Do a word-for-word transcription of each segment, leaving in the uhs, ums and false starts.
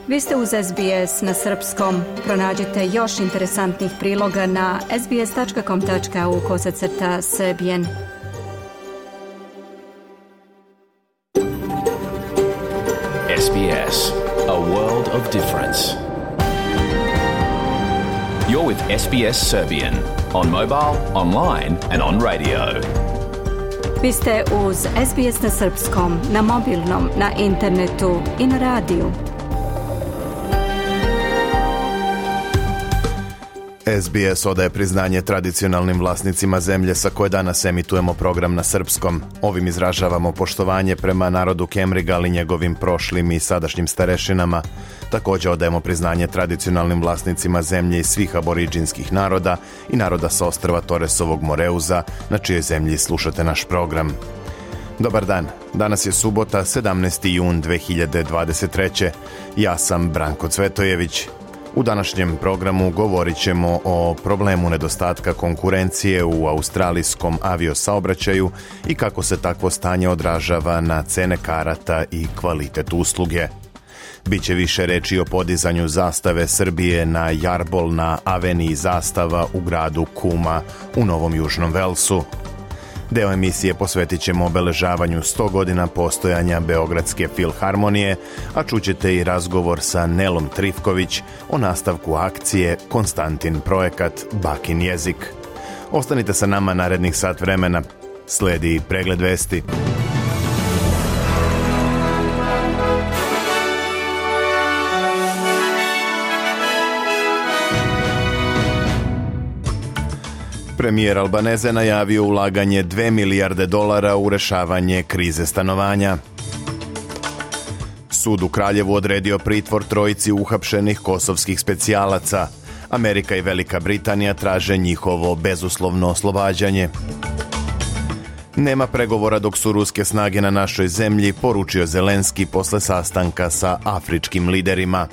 Vi ste uz S B S na srpskom. Pronađite još interesantnih priloga na sbs.com.au kosacrta srbijen. S B S, a world of difference. You're with S B S Serbian on mobile, online and on radio. Vi ste uz S B S na srpskom, na mobilnom, na internetu i na radiju. S B S odaje priznanje tradicionalnim vlasnicima zemlje sa koje danas emitujemo program na srpskom. Ovim izražavamo poštovanje prema narodu Kemriga, ali njegovim prošlim i sadašnjim starešinama. Također odajemo priznanje tradicionalnim vlasnicima zemlje i svih aboriđinskih naroda i naroda sa ostrva Toresovog Moreuza, na čijoj zemlji slušate naš program. Dobar dan, danas je subota, sedamnaesti jun dve hiljade dvadeset treće. Ja sam Branko Cvetojević. U današnjem programu govorit ćemo o problemu nedostatka konkurencije u australijskom aviosaobraćaju i kako se takvo stanje odražava na cene karata i kvalitet usluge. Biće više reči o podizanju zastave Srbije na jarbol na aveniji zastava u gradu Kuma u Novom Južnom Velsu. Deo emisije posvetit ćemo obeležavanju sto godina postojanja Beogradske filharmonije, a čućete i razgovor sa Nelom Trifković o nastavku akcije Konstantin projekat Bakin jezik. Ostanite sa nama narednih sat vremena. Sledi pregled vesti. Premijer Albaneze najavio ulaganje dve milijarde dolara u rešavanje krize stanovanja. Sud u Kraljevu odredio pritvor trojici uhapšenih kosovskih specijalaca. Amerika i Velika Britanija traže njihovo bezuslovno oslobađanje. Nema pregovora dok su ruske snage na našoj zemlji, poručio Zelenski posle sastanka sa afričkim liderima.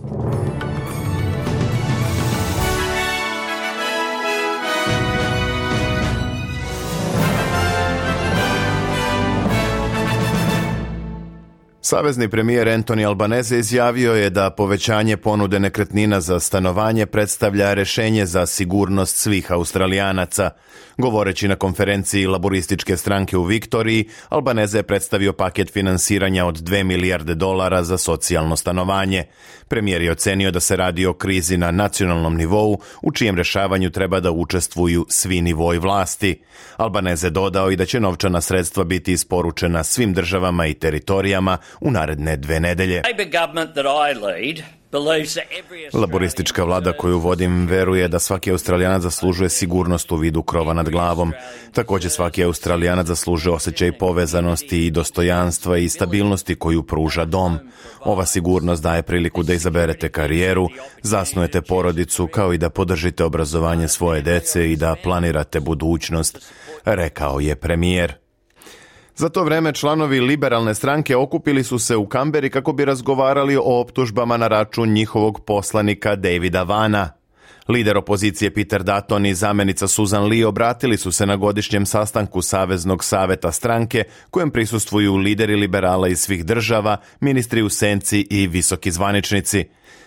Savezni premijer Anthony Albanese izjavio je da povećanje ponude nekretnina za stanovanje predstavlja rešenje za sigurnost svih Australijanaca. Govoreći na konferenciji laborističke stranke u Viktoriji, Albanese je predstavio paket finansiranja od dve milijarde dolara za socijalno stanovanje. Premijer je ocenio da se radi o krizi na nacionalnom nivou, u čijem rešavanju treba da učestvuju svi nivoi vlasti. Albanese dodao i da će novčana sredstva biti isporučena svim državama i teritorijama u naredne dve nedelje. Laboristička vlada koju vodim veruje da svaki Australijanac zaslužuje sigurnost u vidu krova nad glavom. Također svaki Australijanac zaslužuje osjećaj povezanosti i dostojanstva i stabilnosti koju pruža dom. Ova sigurnost daje priliku da izaberete karijeru, zasnujete porodicu, kao i da podržite obrazovanje svoje dece i da planirate budućnost, rekao je premijer. Za to vreme članovi liberalne stranke okupili su se u Kamberi kako bi razgovarali o optužbama na račun njihovog poslanika Davida Vana. Lider opozicije Peter Dutton i zamenica Susan Lee obratili su se na godišnjem sastanku Saveznog saveta stranke, kojem prisustvuju lideri liberala iz svih država, ministri u senci i visoki zvaničnici.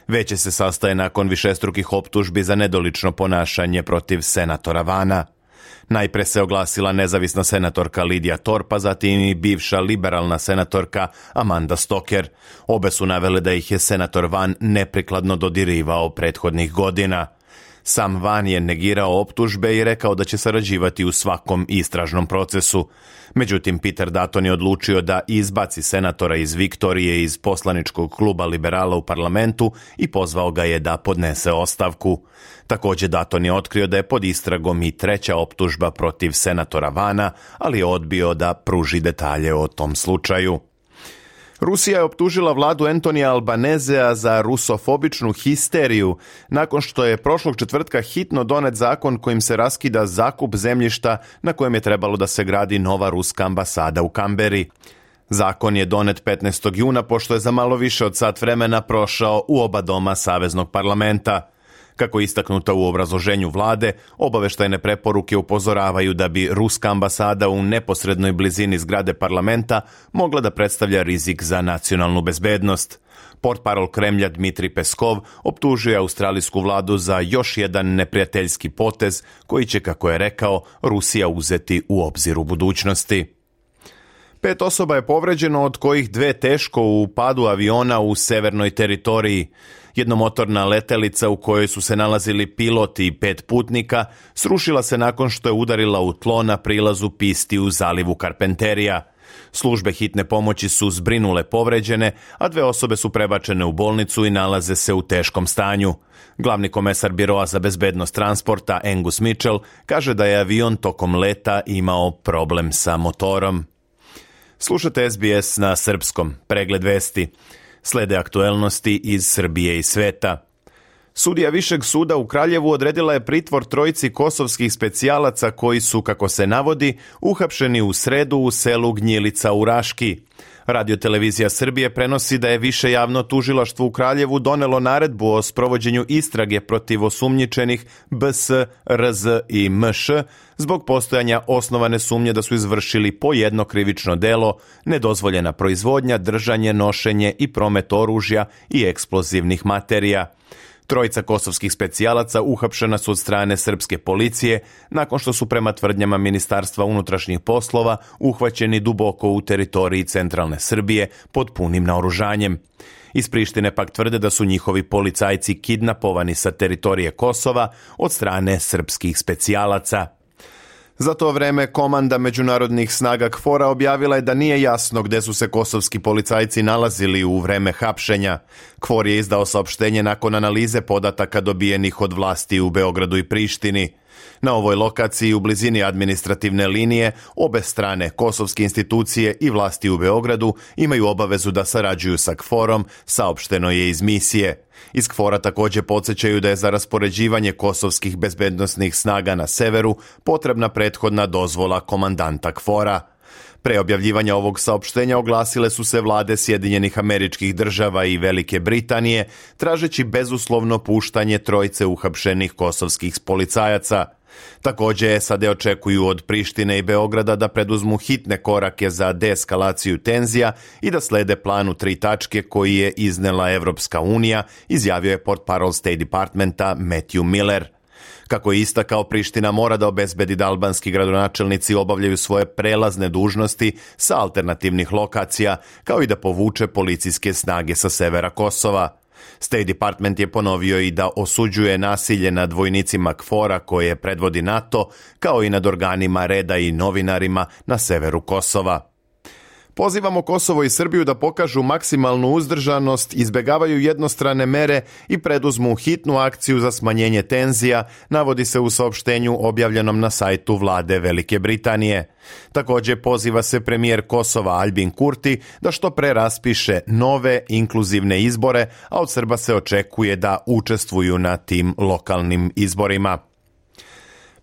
Veće se sastaje nakon višestrukih optužbi za nedolično ponašanje protiv senatora Vana. Najpre se oglasila nezavisna senatorka Lidija Torpa, zatim i bivša liberalna senatorka Amanda Stoker. Obe su navele da ih je senator Van neprikladno dodirivao prethodnih godina. Sam Van je negirao optužbe i rekao da će sarađivati u svakom istražnom procesu. Međutim, Peter Dutton je odlučio da izbaci senatora iz Viktorije iz poslaničkog kluba liberala u parlamentu i pozvao ga je da podnese ostavku. Također Dutton je otkrio da je pod istragom i treća optužba protiv senatora Vana, ali je odbio da pruži detalje o tom slučaju. Rusija je optužila vladu Antonija Albanesea za rusofobičnu histeriju nakon što je prošlog četvrtka hitno donet zakon kojim se raskida zakup zemljišta na kojem je trebalo da se gradi nova ruska ambasada u Kamberi. Zakon je donet petnaestog juna pošto je za malo više od sat vremena prošao u oba doma Saveznog parlamenta. Kako je istaknuto u obrazloženju vlade, obaveštajne preporuke upozoravaju da bi ruska ambasada u neposrednoj blizini zgrade parlamenta mogla da predstavlja rizik za nacionalnu bezbednost. Portparol Kremlja Dmitri Peskov optužuje australijsku vladu za još jedan neprijateljski potez koji će, kako je rekao, Rusija uzeti u obzir u budućnosti. Pet osoba je povređeno, od kojih dve teško u padu aviona u severnoj teritoriji. Jednomotorna letelica u kojoj su se nalazili pilot i pet putnika srušila se nakon što je udarila u tlo na prilazu pisti u zalivu Carpenterija. Službe hitne pomoći su zbrinule povređene, a dve osobe su prebačene u bolnicu i nalaze se u teškom stanju. Glavni komesar Biroa za bezbednost transporta Angus Mitchell kaže da je avion tokom leta imao problem sa motorom. Slušate S B S na srpskom, pregled vesti. Slede aktuelnosti iz Srbije i sveta. Sudija Višeg suda u Kraljevu odredila je pritvor trojici kosovskih specijalaca koji su, kako se navodi, uhapšeni u sredu u selu Gnjilica u Raški. Radiotelevizija Srbije prenosi da je Više javno tužilaštvo u Kraljevu donelo naredbu o sprovođenju istrage protiv osumnjičenih B S, R Z i M Š zbog postojanja osnovane sumnje da su izvršili po jedno krivično delo, nedozvoljena proizvodnja, držanje, nošenje i promet oružja i eksplozivnih materija. Trojica kosovskih specijalaca uhapšena su od strane srpske policije nakon što su prema tvrdnjama Ministarstva unutrašnjih poslova uhvaćeni duboko u teritoriji centralne Srbije pod punim naoružanjem. Iz Prištine pak tvrde da su njihovi policajci kidnapovani sa teritorije Kosova od strane srpskih specijalaca. Za to vreme komanda međunarodnih snaga KFOR-a objavila je da nije jasno gde su se kosovski policajci nalazili u vreme hapšenja. KFOR je izdao saopštenje nakon analize podataka dobijenih od vlasti u Beogradu i Prištini. Na ovoj lokaciji u blizini administrativne linije obe strane, kosovske institucije i vlasti u Beogradu, imaju obavezu da sarađuju sa KFOR-om, saopšteno je iz misije. Iz KFOR-a također podsjećaju da je za raspoređivanje kosovskih bezbednosnih snaga na severu potrebna prethodna dozvola komandanta KFOR-a. Pre objavljivanja ovog saopštenja oglasile su se vlade Sjedinjenih Američkih Država i Velike Britanije, tražeći bezuslovno puštanje trojice uhapšenih kosovskih policajaca. Također S A D očekuju od Prištine i Beograda da preduzmu hitne korake za deeskalaciju tenzija i da slede planu tri tačke koji je iznela Evropska unija, izjavio je portparol State Departmenta Matthew Miller. Kako je istakao, Priština mora da obezbedi da albanski gradonačelnici obavljaju svoje prelazne dužnosti sa alternativnih lokacija, kao i da povuče policijske snage sa severa Kosova. State Department je ponovio i da osuđuje nasilje nad vojnicima KFOR-a koje predvodi NATO, kao i nad organima reda i novinarima na severu Kosova. Pozivamo Kosovo i Srbiju da pokažu maksimalnu uzdržanost, izbegavaju jednostrane mere i preduzmu hitnu akciju za smanjenje tenzija, navodi se u saopštenju objavljenom na sajtu vlade Velike Britanije. Također poziva se premijer Kosova Albin Kurti da što pre raspiše nove inkluzivne izbore, a od Srba se očekuje da učestvuju na tim lokalnim izborima.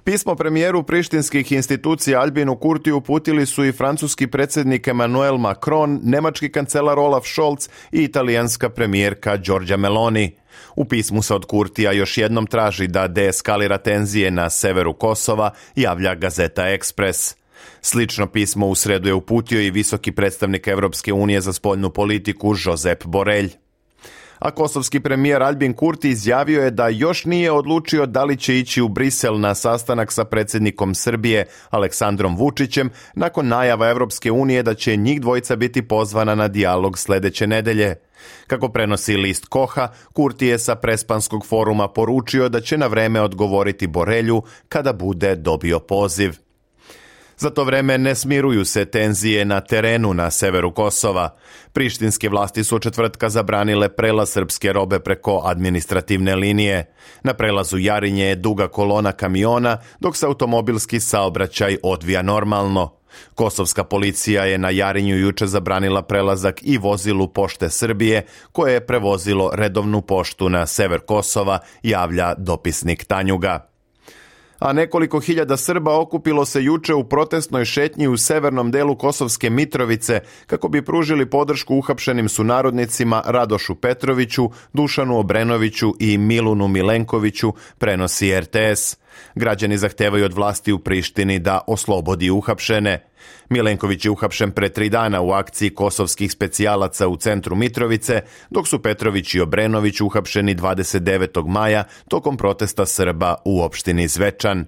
Pismo premijeru prištinskih institucija Albinu Kurtiju uputili su i francuski predsjednik Emmanuel Macron, nemački kancelar Olaf Scholz i italijanska premijerka Giorgia Meloni. U pismu se od Kurtija još jednom traži da deeskalira tenzije na severu Kosova, javlja gazeta Express. Slično pismo u sredu je uputio i visoki predstavnik Evropske unije za spoljnu politiku Josep Borrell. A kosovski premijer Albin Kurti izjavio je da još nije odlučio da li će ići u Brisel na sastanak sa predsjednikom Srbije Aleksandrom Vučićem nakon najava Evropske unije da će njih dvojica biti pozvana na dijalog sljedeće nedelje. Kako prenosi list Koha, Kurti je sa Prespanskog foruma poručio da će na vreme odgovoriti Borelju kada bude dobio poziv. Za to vreme ne smiruju se tenzije na terenu na severu Kosova. Prištinske vlasti su od četvrtka zabranile prelaz srpske robe preko administrativne linije. Na prelazu Jarinje je duga kolona kamiona, dok se automobilski saobraćaj odvija normalno. Kosovska policija je na Jarinju juče zabranila prelazak i vozilu Pošte Srbije, koje je prevozilo redovnu poštu na sever Kosova, javlja dopisnik Tanjuga. A nekoliko hiljada Srba okupilo se juče u protestnoj šetnji u severnom delu Kosovske Mitrovice kako bi pružili podršku uhapšenim sunarodnicima Radošu Petroviću, Dušanu Obrenoviću i Milunu Milenkoviću, prenosi er te es. Građani zahtevaju od vlasti u Prištini da oslobodi uhapšene. Milenković je uhapšen pre tri dana u akciji kosovskih specijalaca u centru Mitrovice, dok su Petrović i Obrenović uhapšeni dvadeset devetog maja tokom protesta Srba u opštini Zvečan.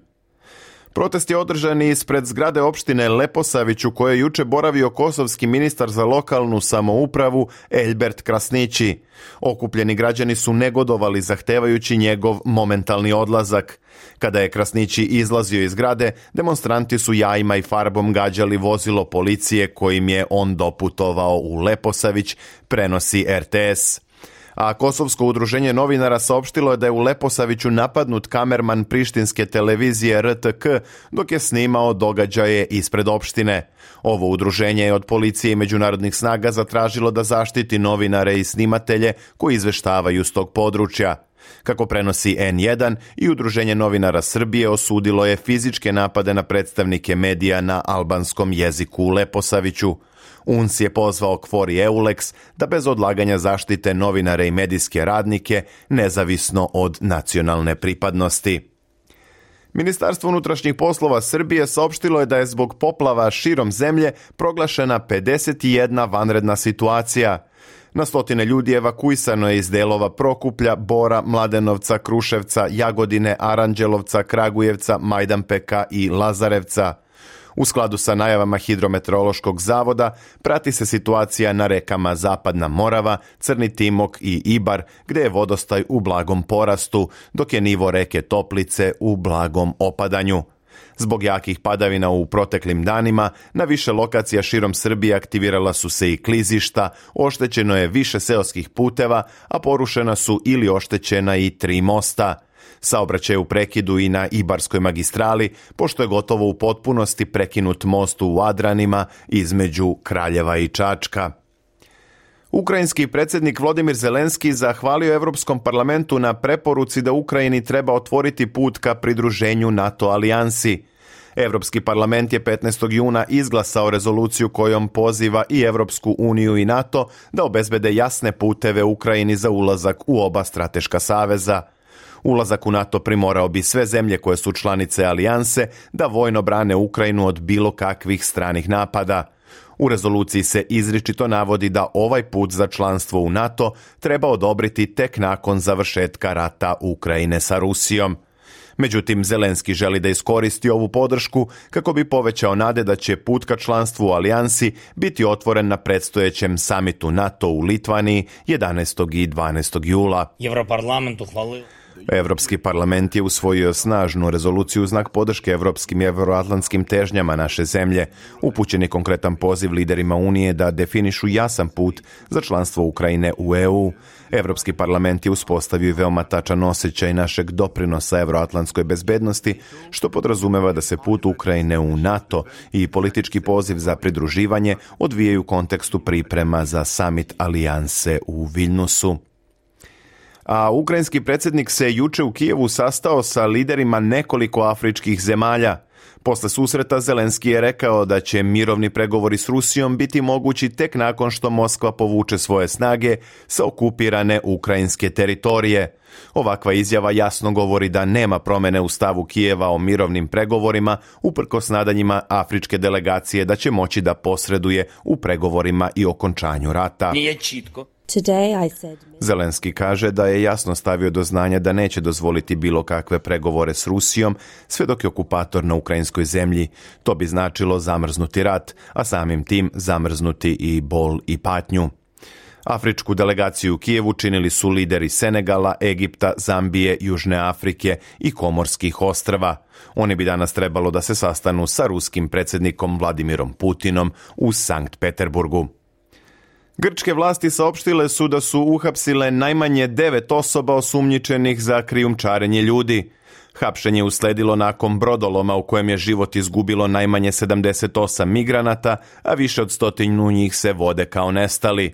Protest je održan ispred zgrade opštine Leposavić u kojoj je juče boravio kosovski ministar za lokalnu samoupravu Elbert Krasnići. Okupljeni građani su negodovali zahtevajući njegov momentalni odlazak. Kada je Krasnići izlazio iz zgrade, demonstranti su jajima i farbom gađali vozilo policije kojim je on doputovao u Leposavić, prenosi er te es. A Kosovsko udruženje novinara saopštilo je da je u Leposaviću napadnut kamerman prištinske televizije er te ka dok je snimao događaje ispred opštine. Ovo udruženje je od policije i međunarodnih snaga zatražilo da zaštiti novinare i snimatelje koji izveštavaju s tog područja. Kako prenosi en jedan, i Udruženje novinara Srbije osudilo je fizičke napade na predstavnike medija na albanskom jeziku u Leposaviću. U en se je pozvao Kvori Euleks da bez odlaganja zaštite novinare i medijske radnike nezavisno od nacionalne pripadnosti. Ministarstvo unutrašnjih poslova Srbije saopštilo je da je zbog poplava širom zemlje proglašena pedeset jedna vanredna situacija. Na stotine ljudi evakuisano je iz delova Prokuplja, Bora, Mladenovca, Kruševca, Jagodine, Aranđelovca, Kragujevca, Majdanpeka i Lazarevca. U skladu sa najavama Hidrometeorološkog zavoda prati se situacija na rekama Zapadna Morava, Crni Timok i Ibar, gde je vodostaj u blagom porastu, dok je nivo reke Toplice u blagom opadanju. Zbog jakih padavina u proteklim danima, na više lokacija širom Srbije aktivirala su se i klizišta, oštećeno je više seoskih puteva, a porušena su ili oštećena i tri mosta. Saobraćaj u prekidu i na Ibarskoj magistrali, pošto je gotovo u potpunosti prekinut most u Adranima između Kraljeva i Čačka. Ukrajinski predsjednik Volodimir Zelenski zahvalio Evropskom parlamentu na preporuci da Ukrajini treba otvoriti put ka pridruženju NATO alijansi. Evropski parlament je petnaestog juna izglasao rezoluciju kojom poziva i Evropsku uniju i NATO da obezbede jasne puteve Ukrajini za ulazak u oba strateška saveza. Ulazak u NATO primorao bi sve zemlje koje su članice alijanse da vojno brane Ukrajinu od bilo kakvih stranih napada. U rezoluciji se izričito navodi da ovaj put za članstvo u NATO treba odobriti tek nakon završetka rata Ukrajine sa Rusijom. Međutim, Zelenski želi da iskoristi ovu podršku kako bi povećao nade da će put ka članstvu u alijansi biti otvoren na predstojećem samitu NATO u Litvaniji jedanaestog i dvanaestog jula. Evroparlament uhvalio Evropski parlament je usvojio snažnu rezoluciju u znak podrške evropskim i evroatlantskim težnjama naše zemlje. Upućen je konkretan poziv liderima Unije da definišu jasan put za članstvo Ukrajine u e u. Evropski parlament je uspostavio i veoma tačan osjećaj našeg doprinosa evroatlantskoj bezbednosti, što podrazumeva da se put Ukrajine u NATO i politički poziv za pridruživanje odvijaju u kontekstu priprema za samit alijanse u Viljnusu. A ukrajinski predsjednik se juče u Kijevu sastao sa liderima nekoliko afričkih zemalja. Posle susreta Zelenski je rekao da će mirovni pregovori s Rusijom biti mogući tek nakon što Moskva povuče svoje snage sa okupirane ukrajinske teritorije. Ovakva izjava jasno govori da nema promene u stavu Kijeva o mirovnim pregovorima, uprkos nadanjima afričke delegacije da će moći da posreduje u pregovorima i okončanju rata. nije čitko. Zelenski kaže da je jasno stavio do znanja da neće dozvoliti bilo kakve pregovore s Rusijom sve dok je okupator na ukrajinskoj zemlji. To bi značilo zamrznuti rat, a samim tim zamrznuti i bol i patnju. Afričku delegaciju u Kijevu činili su lideri Senegala, Egipta, Zambije, Južne Afrike i Komorskih ostrva. Oni bi danas trebalo da se sastanu sa ruskim predsjednikom Vladimirom Putinom u Sankt Peterburgu. Grčke vlasti saopštile su da su uhapsile najmanje devet osoba osumnjičenih za krijumčarenje ljudi. Hapšenje usledilo nakon brodoloma u kojem je život izgubilo najmanje sedamdeset osam migranata, a više od stotinu njih se vode kao nestali.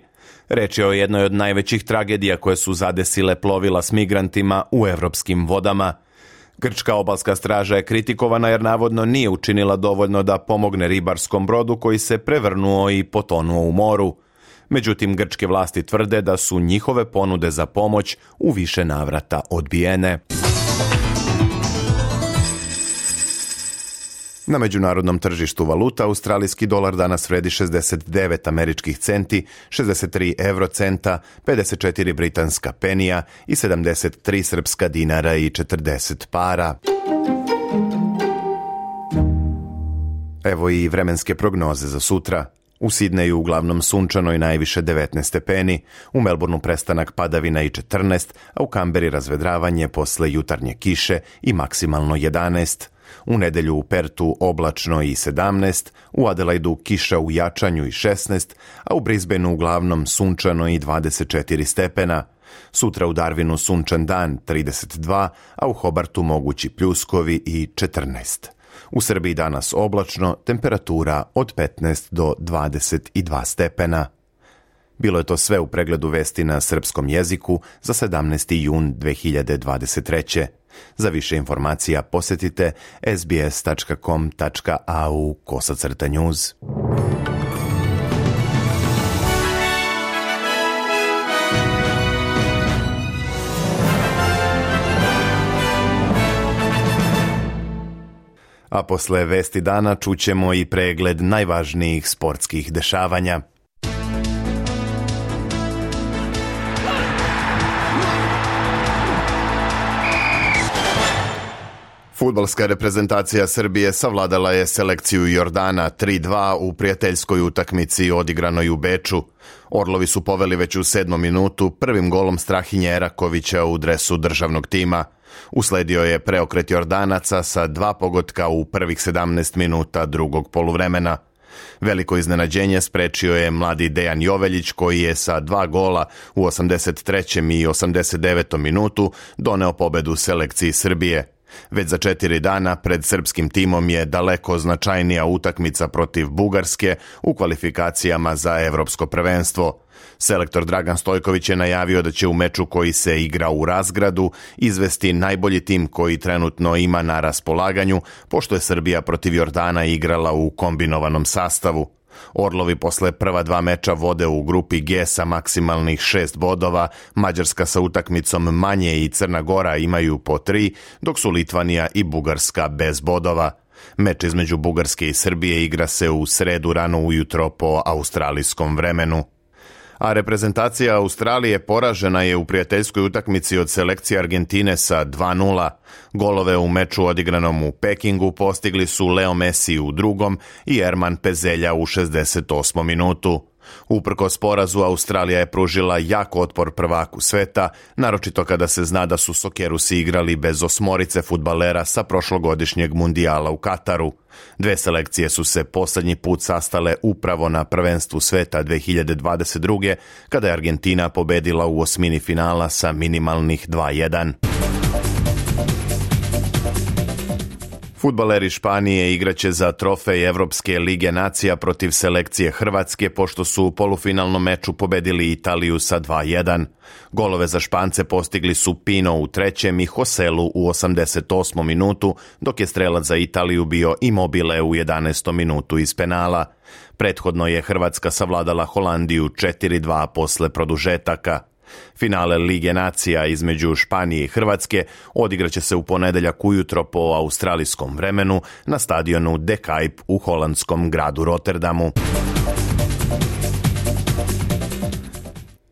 Reč je o jednoj od najvećih tragedija koje su zadesile plovila s migrantima u evropskim vodama. Grčka obalska straža je kritikovana jer navodno nije učinila dovoljno da pomogne ribarskom brodu koji se prevrnuo i potonuo u moru. Međutim, grčke vlasti tvrde da su njihove ponude za pomoć u više navrata odbijene. Na međunarodnom tržištu valuta australijski dolar danas vredi šezdeset devet američkih centi, šezdeset tri eurocenta, pedeset četiri britanska penija i sedamdeset tri srpska dinara i četrdeset para. Evo i vremenske prognoze za sutra. U Sidneju uglavnom sunčano i najviše devetnaest stepeni, u Melbourneu prestanak padavina i četrnaest, a u Kamberi razvedravanje posle jutarnje kiše i maksimalno jedanaest. U nedelju u Pertu oblačno i sedamnaest, u Adelaidu kiša u jačanju i šesnaest, a u Brisbaneu uglavnom sunčano i dvadeset četiri stepena. Sutra u Darwinu sunčan dan trideset dva, a u Hobartu mogući pljuskovi i četrnaest. U Srbiji danas oblačno, temperatura od petnaest do dvadeset dva stepena. Bilo je to sve u pregledu vesti na srpskom jeziku za sedamnaesti jun dve hiljade dvadeset treće. Za više informacija posjetite es bi es tačka com tačka a u kosacrta news. A posle vesti dana čućemo i pregled najvažnijih sportskih dešavanja. Fudbalska reprezentacija Srbije savladala je selekciju Jordana tri dva u prijateljskoj utakmici odigranoj u Beču. Orlovi su poveli već u sedmom minutu prvim golom Strahinje Erakovića u dresu državnog tima. Usledio je preokret Jordanaca sa dva pogotka u prvih sedamnaest minuta drugog poluvremena. Veliko iznenađenje sprečio je mladi Dejan Joveljić koji je sa dva gola u osamdeset trećem i osamdeset devetom minutu doneo pobedu selekciji Srbije. Već za četiri dana pred srpskim timom je daleko značajnija utakmica protiv Bugarske u kvalifikacijama za evropsko prvenstvo. Selektor Dragan Stojković je najavio da će u meču koji se igra u Razgradu izvesti najbolji tim koji trenutno ima na raspolaganju, pošto je Srbija protiv Jordana igrala u kombinovanom sastavu. Orlovi posle prva dva meča vode u grupi G sa maksimalnih šest bodova, Mađarska sa utakmicom manje i Crna Gora imaju po tri, dok su Litvanija i Bugarska bez bodova. Meč između Bugarske i Srbije igra se u sredu rano ujutro po australijskom vremenu. A reprezentacija Australije poražena je u prijateljskoj utakmici od selekcije Argentine sa dva nula. Golove u meču odigranom u Pekingu postigli su Leo Messi u drugom i Erman Pezelja u šezdeset osmom minutu. Uprkos porazu, Australija je pružila jak otpor prvaku sveta, naročito kada se zna da su Sokerusi igrali bez osmorice fudbalera sa prošlogodišnjeg mundijala u Kataru. Dve selekcije su se posljednji put sastale upravo na prvenstvu sveta dve hiljade dvadeset druge. kada je Argentina pobedila u osmini finala sa minimalnih dva jedan. Fudbaleri Španije igraće za trofej Evropske lige nacija protiv selekcije Hrvatske, pošto su u polufinalnom meču pobedili Italiju sa dva jedan. Golove za Špance postigli su Pino u trećem i Hoselu u osamdeset osmom minutu, dok je strelac za Italiju bio Immobile u jedanaestom minutu iz penala. Prethodno je Hrvatska savladala Holandiju četiri dva posle produžetaka. Finale Lige nacija između Španije i Hrvatske odigraće se u ponedeljak ujutro po australijskom vremenu na stadionu De Kuip u holandskom gradu Rotterdamu.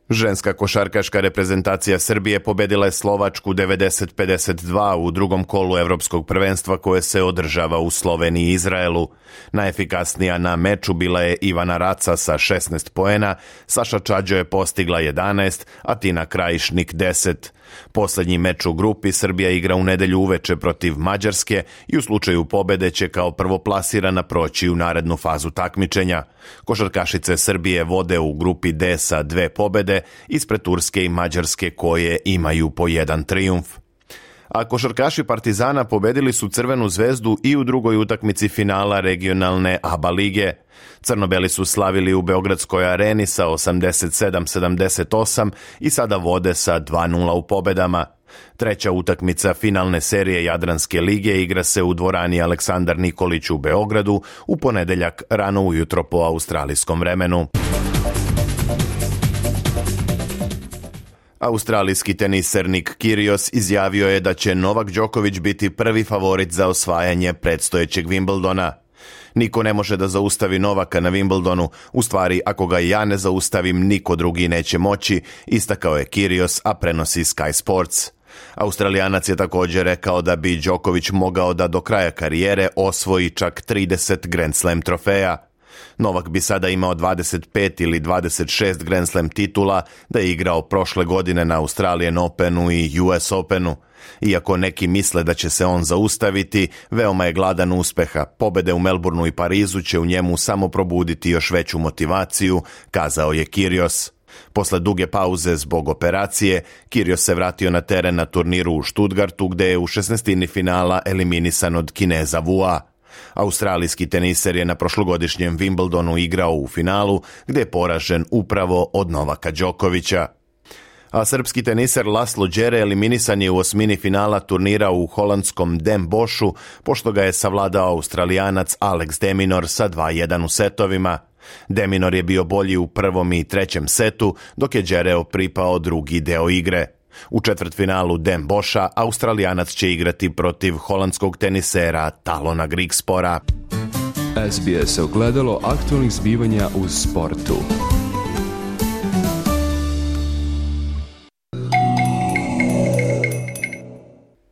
Ženska košarkaška reprezentacija Srbije pobedila je Slovačku devedeset pedeset dva u drugom kolu evropskog prvenstva koje se održava u Sloveniji i Izraelu. Najefikasnija na meču bila je Ivana Raca sa šesnaest poena, Saša Čađo je postigla jedanaest, a Tina Krajišnik deset. Posljednji meč u grupi Srbija igra u nedelju uveče protiv Mađarske i u slučaju pobede će kao prvoplasirana proći u narednu fazu takmičenja. Košarkašice Srbije vode u grupi D sa dve pobede ispred Turske i Mađarske koje imaju po jedan trijumf. A košarkaši Partizana pobedili su Crvenu zvezdu i u drugoj utakmici finala regionalne A B A lige. Crnobeli su slavili u Beogradskoj areni sa osamdeset sedam sedamdeset osam i sada vode sa dva nula u pobedama. Treća utakmica finalne serije Jadranske lige igra se u dvorani Aleksandar Nikolić u Beogradu u ponedeljak rano ujutro po australijskom vremenu. Australijski teniser Nick Kyrgios izjavio je da će Novak Đoković biti prvi favorit za osvajanje predstojećeg Wimbledona. Niko ne može da zaustavi Novaka na Wimbledonu, u stvari ako ga ja ne zaustavim, niko drugi neće moći, istakao je Kyrgios, a prenosi Sky Sports. Australijanac je također rekao da bi Đoković mogao da do kraja karijere osvoji čak trideset Grand Slam trofeja. Novak bi sada imao dvadeset pet ili dvadeset šest Grand Slam titula da je igrao prošle godine na Australian Openu i U S Openu. Iako neki misle da će se on zaustaviti, veoma je gladan uspeha. Pobede u Melbourneu i Parizu će u njemu samo probuditi još veću motivaciju, kazao je Kyrgios. Posle duge pauze zbog operacije, Kyrgios se vratio na teren na turniru u Stuttgartu, gde je u šesnaestini finala eliminisan od Kineza Vua. Australijski teniser je na prošlogodišnjem Wimbledonu igrao u finalu, gde je poražen upravo od Novaka Đokovića. A srpski teniser Laslo Đere eliminisan je u osmini finala turnira u holandskom Den Boschu, pošto ga je savladao Australijanac Alex de Minaur sa dva jedan u setovima. De Minaur je bio bolji u prvom i trećem setu, dok je Đereo pripao drugi deo igre. U četvrtfinalu Den Boscha Australijanac će igrati protiv holandskog tenisera Talona Grigspora. S B S ogledalo aktualnih zbivanja u sportu.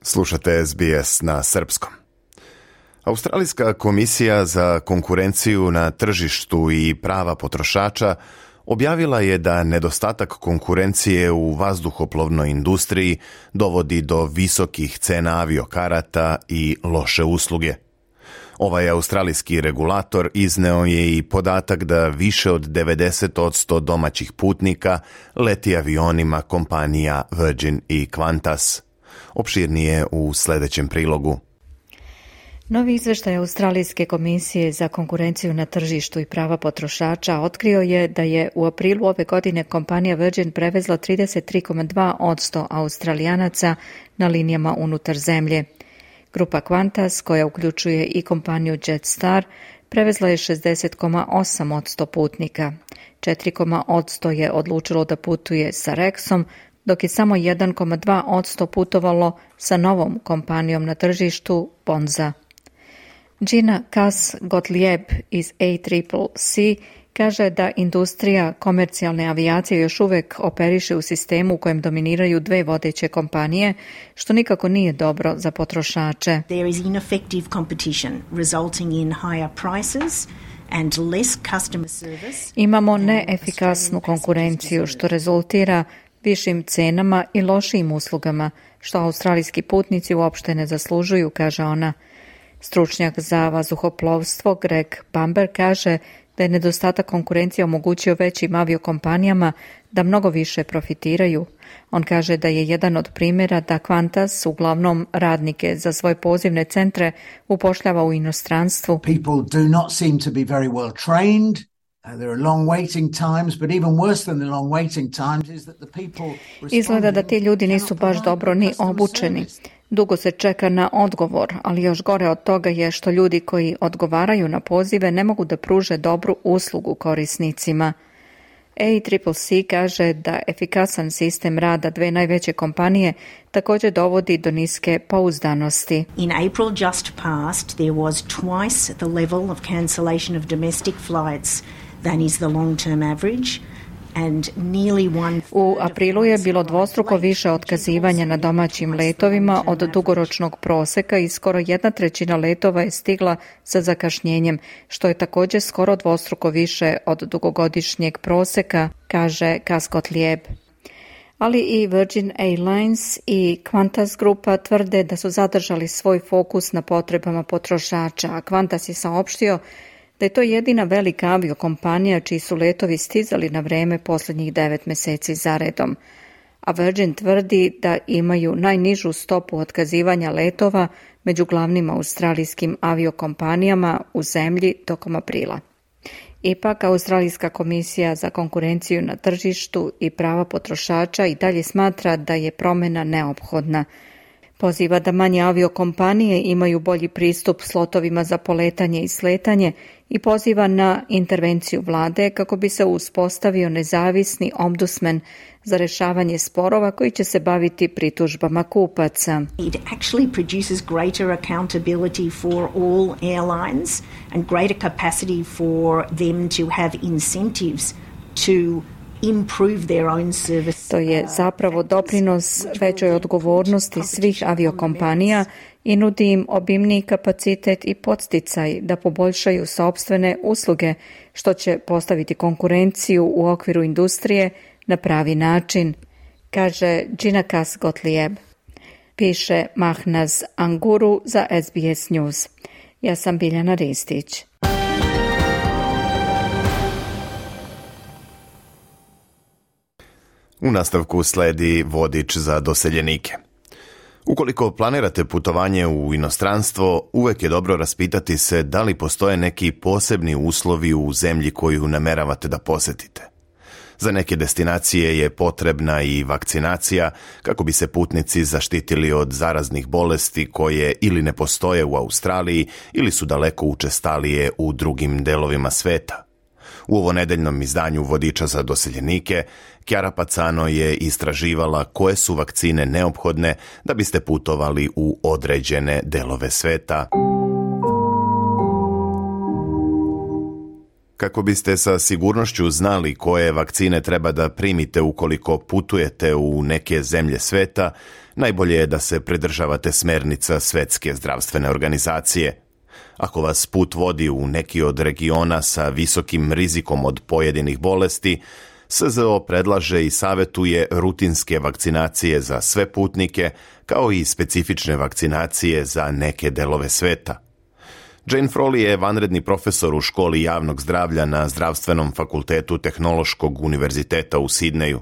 Slušate S B S na srpskom. Australijska komisija za konkurenciju na tržištu i prava potrošača objavila je da nedostatak konkurencije u vazduhoplovnoj industriji dovodi do visokih cena aviokarata i loše usluge. Ovaj australijski regulator izneo je i podatak da više od devedeset posto domaćih putnika leti avionima kompanija Virgin i Qantas. Opširnije u sljedećem prilogu. Novi izveštaj Australijske komisije za konkurenciju na tržištu i prava potrošača otkrio je da je u aprilu ove godine kompanija Virgin prevezla trideset tri zarez dva posto Australijanaca na linijama unutar zemlje. Grupa Qantas, koja uključuje i kompaniju Jetstar, prevezla je šezdeset zarez osam posto putnika. četiri posto je odlučilo da putuje sa Rexom, dok je samo jedan zarez dva posto putovalo sa novom kompanijom na tržištu Bonza. Gina Cass-Gottlieb iz A C C C kaže da industrija komercijalne avijacije još uvek operiše u sistemu u kojem dominiraju dve vodeće kompanije, što nikako nije dobro za potrošače. There is ineffective competition resulting in higher prices and less customer service. Imamo neefikasnu konkurenciju što rezultira višim cenama i lošim uslugama, što australijski putnici uopšte ne zaslužuju, kaže ona. Stručnjak za vazduhoplovstvo Greg Bamber kaže da je nedostatak konkurencije omogućio većim aviokompanijama da mnogo više profitiraju. On kaže da je jedan od primjera da Qantas uglavnom radnike za svoje pozivne centre upošljava u inostranstvu. People do not seem to be very well trained. Izgleda da ti ljudi nisu baš dobro ni obučeni. Dugo se čeka na odgovor, ali još gore od toga je što ljudi koji odgovaraju na pozive ne mogu da pruže dobru uslugu korisnicima. A C C C kaže da efikasan sistem rada dve najveće kompanije također dovodi do niske pouzdanosti. In April just passed, there was twice the level of cancellation of domestic flights than is the long-term average. U aprilu je bilo dvostruko više otkazivanja na domaćim letovima od dugoročnog proseka i skoro jedna trećina letova je stigla sa zakašnjenjem, što je također skoro dvostruko više od dugogodišnjeg proseka, kaže Cass-Gottlieb. Ali i Virgin Airlines i Qantas grupa tvrde da su zadržali svoj fokus na potrebama potrošača, a Qantas je saopštio da je to jedina velika aviokompanija čiji su letovi stizali na vreme posljednjih devet mjeseci zaredom. A Virgin tvrdi da imaju najnižu stopu otkazivanja letova među glavnim australijskim aviokompanijama u zemlji tokom aprila. Ipak, Australijska komisija za konkurenciju na tržištu i prava potrošača i dalje smatra da je promjena neophodna. Poziva da manje aviokompanije imaju bolji pristup slotovima za poletanje i sletanje i poziva na intervenciju vlade kako bi se uspostavio nezavisni ombudsman za rješavanje sporova koji će se baviti pritužbama kupaca. It actually produces greater accountability for all airlines and greater capacity for them to have incentives to improve their own service. To je zapravo doprinos većoj odgovornosti svih aviokompanija i nudi im obimniji kapacitet i podsticaj da poboljšaju sopstvene usluge, što će postaviti konkurenciju u okviru industrije na pravi način, kaže Džinakas Gottlieb. Piše Mahnaz Anguru za S B S News. Ja sam Biljana Ristić. U nastavku sledi vodič za doseljenike. Ukoliko planirate putovanje u inostranstvo, uvek je dobro raspitati se da li postoje neki posebni uslovi u zemlji koju nameravate da posetite. Za neke destinacije je potrebna i vakcinacija kako bi se putnici zaštitili od zaraznih bolesti koje ili ne postoje u Australiji ili su daleko učestalije u drugim delovima sveta. U ovonedeljnom izdanju vodiča za doseljenike, Chiara Pazzano je istraživala koje su vakcine neophodne da biste putovali u određene delove sveta. Kako biste sa sigurnošću znali koje vakcine treba da primite ukoliko putujete u neke zemlje sveta, najbolje je da se pridržavate smernica Svetske zdravstvene organizacije. Ako vas put vodi u neki od regiona sa visokim rizikom od pojedinih bolesti, S Z O predlaže i savjetuje rutinske vakcinacije za sve putnike, kao i specifične vakcinacije za neke delove sveta. Jane Frawley je vanredni profesor u školi javnog zdravlja na Zdravstvenom fakultetu Tehnološkog univerziteta u Sidneju.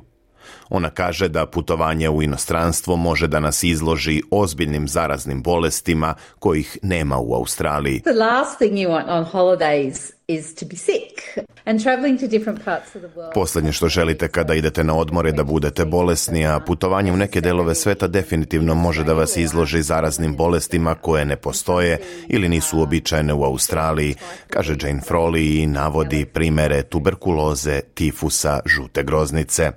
Ona kaže da putovanje u inostranstvo može da nas izloži ozbiljnim zaraznim bolestima kojih nema u Australiji. The last thing you want on holidays is to be sick and traveling to different parts of the world. Poslednje što želite kada idete na odmor je da budete bolesni, a putovanje u neke delove sveta definitivno može da vas izloži zaraznim bolestima koje ne postoje ili nisu uobičajene u Australiji, kaže Jane Frawley i navodi primere tuberkuloze, tifusa, žute groznice.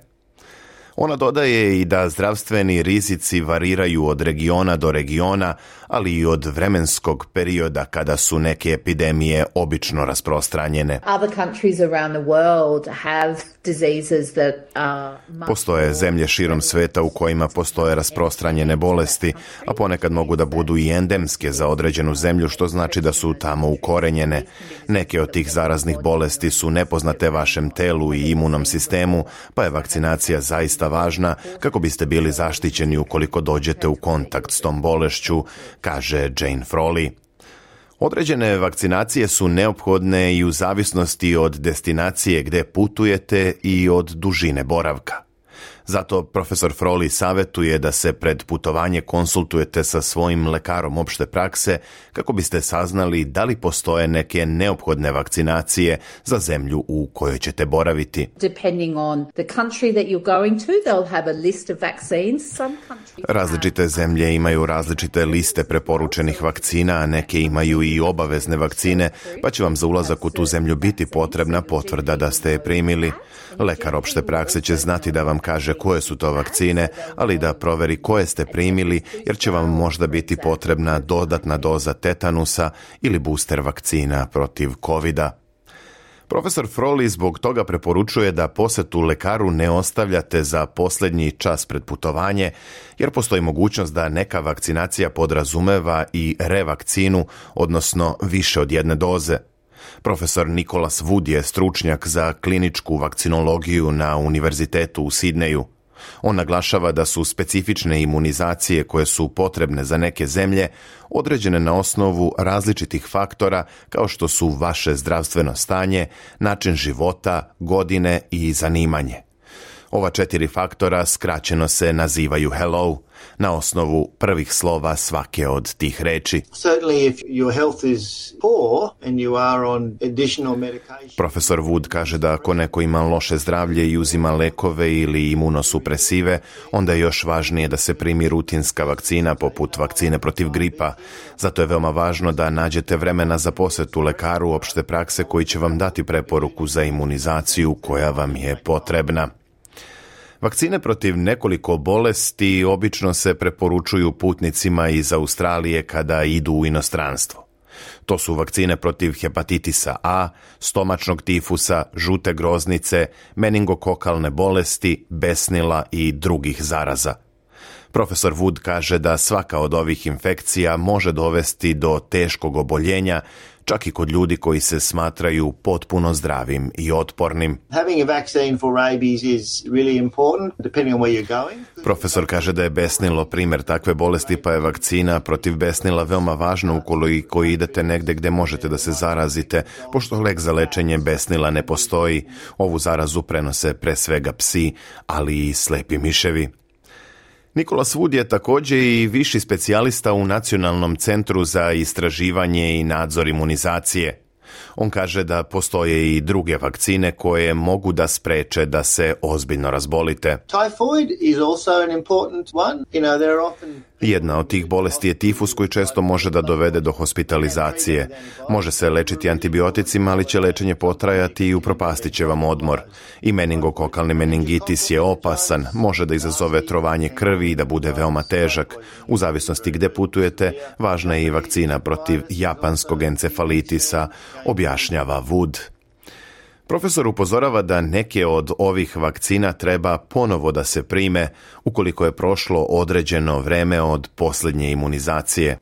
Ona dodaje i da zdravstveni rizici variraju od regiona do regiona, ali i od vremenskog perioda kada su neke epidemije obično rasprostranjene. Postoje zemlje širom sveta u kojima postoje rasprostranjene bolesti, a ponekad mogu da budu i endemske za određenu zemlju, što znači da su tamo ukorenjene. Neke od tih zaraznih bolesti su nepoznate vašem telu i imunom sistemu, pa je vakcinacija zaista važna kako biste bili zaštićeni ukoliko dođete u kontakt s tom bolešću, kaže Jane Frawley. Određene vakcinacije su neophodne i u zavisnosti od destinacije gde putujete i od dužine boravka. Zato profesor Frawley savjetuje da se pred putovanje konsultujete sa svojim lekarom opšte prakse kako biste saznali da li postoje neke neophodne vakcinacije za zemlju u kojoj ćete boraviti. Različite zemlje imaju različite liste preporučenih vakcina, a neke imaju i obavezne vakcine, pa će vam za ulazak u tu zemlju biti potrebna potvrda da ste je primili. Lekar opšte prakse će znati da vam kaže koje su to vakcine, ali da proveri koje ste primili, jer će vam možda biti potrebna dodatna doza tetanusa ili booster vakcina protiv kovida. Profesor Frawley zbog toga preporučuje da posetu lekaru ne ostavljate za posljednji čas pred putovanje, jer postoji mogućnost da neka vakcinacija podrazumeva i revakcinu, odnosno više od jedne doze. Profesor Nicholas Wood je stručnjak za kliničku vakcinologiju na Univerzitetu u Sidneju. On naglašava da su specifične imunizacije koje su potrebne za neke zemlje određene na osnovu različitih faktora kao što su vaše zdravstveno stanje, način života, godine i zanimanje. Ova četiri faktora skraćeno se nazivaju hello, na osnovu prvih slova svake od tih reči. Profesor Wood kaže da ako neko ima loše zdravlje i uzima lekove ili imunosupresive, onda je još važnije da se primi rutinska vakcina poput vakcine protiv gripa. Zato je veoma važno da nađete vremena za posjetu lekaru opšte prakse koji će vam dati preporuku za imunizaciju koja vam je potrebna. Vakcine protiv nekoliko bolesti obično se preporučuju putnicima iz Australije kada idu u inostranstvo. To su vakcine protiv hepatitisa A, stomačnog tifusa, žute groznice, meningokokalne bolesti, besnila i drugih zaraza. Profesor Wood kaže da svaka od ovih infekcija može dovesti do teškog oboljenja, čak i kod ljudi koji se smatraju potpuno zdravim i otpornim. Profesor kaže da je besnilo primjer takve bolesti, pa je vakcina protiv besnila veoma važna ukoliko idete negde gde možete da se zarazite, pošto lek za lečenje besnila ne postoji. Ovu zarazu prenose pre svega psi, ali i slepi miševi. Nicholas Wood je također i viši specijalista u Nacionalnom centru za istraživanje i nadzor imunizacije. On kaže da postoje i druge vakcine koje mogu da spreče da se ozbiljno razbolite. Jedna od tih bolesti je tifus koji često može da dovede do hospitalizacije. Može se lečiti antibioticima, ali će lečenje potrajati i upropastit će vam odmor. I meningokokalni meningitis je opasan, može da izazove trovanje krvi i da bude veoma težak. U zavisnosti gde putujete, važna je i vakcina protiv japanskog encefalitisa, objašnjava Wood. Profesor upozorava da neke od ovih vakcina treba ponovo da se prime ukoliko je prošlo određeno vreme od posljednje imunizacije.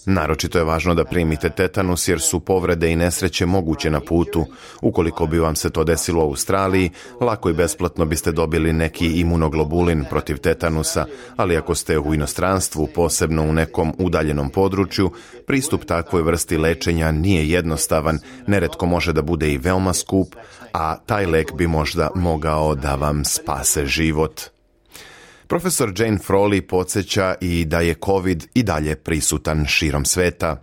Naročito je važno da primite tetanus jer su povrede i nesreće moguće na putu. Ukoliko bi vam se to desilo u Australiji, lako i besplatno biste dobili neki imunoglobulin protiv tetanusa, ali ako ste u inostranstvu, posebno u nekom udaljenom području, pristup takvoj vrsti lečenja nije jednostavan, neretko može da bude i veoma skup, a taj lek bi možda mogao da vam spase život. Profesor Jane Frawley podsjeća i da je COVID i dalje prisutan širom sveta.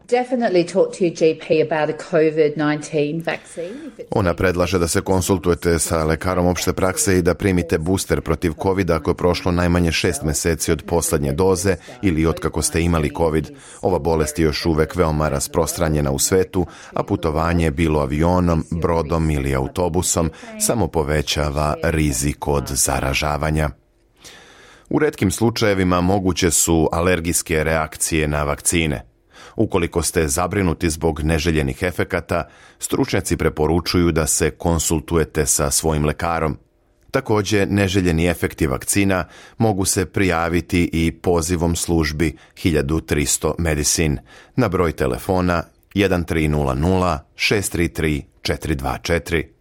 Ona predlaže da se konsultujete sa lekarom opšte prakse i da primite booster protiv COVID ako je prošlo najmanje šest meseci od poslednje doze ili od kako ste imali COVID. Ova bolest je još uvek veoma rasprostranjena u svetu, a putovanje bilo avionom, brodom ili autobusom samo povećava rizik od zaražavanja. U retkim slučajevima moguće su alergijske reakcije na vakcine. Ukoliko ste zabrinuti zbog neželjenih efekata, stručnjaci preporučuju da se konsultujete sa svojim lekarom. Također, neželjeni efekti vakcina mogu se prijaviti i pozivom službi hiljadu tristo Medicine na broj telefona jedan tri nula nula šest tri tri četiri dva četiri.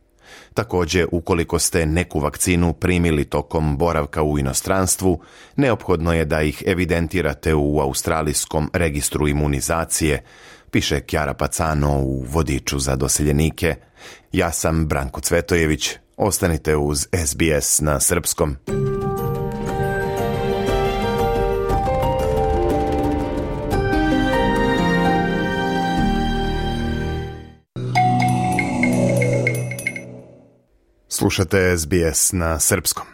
Također, ukoliko ste neku vakcinu primili tokom boravka u inostranstvu, neophodno je da ih evidentirate u australijskom registru imunizacije, piše Kjara Pacano u vodiču za doseljenike. Ja sam Branko Cvetojević. Ostanite uz S B S na srpskom. Slušate S B S na srpskom.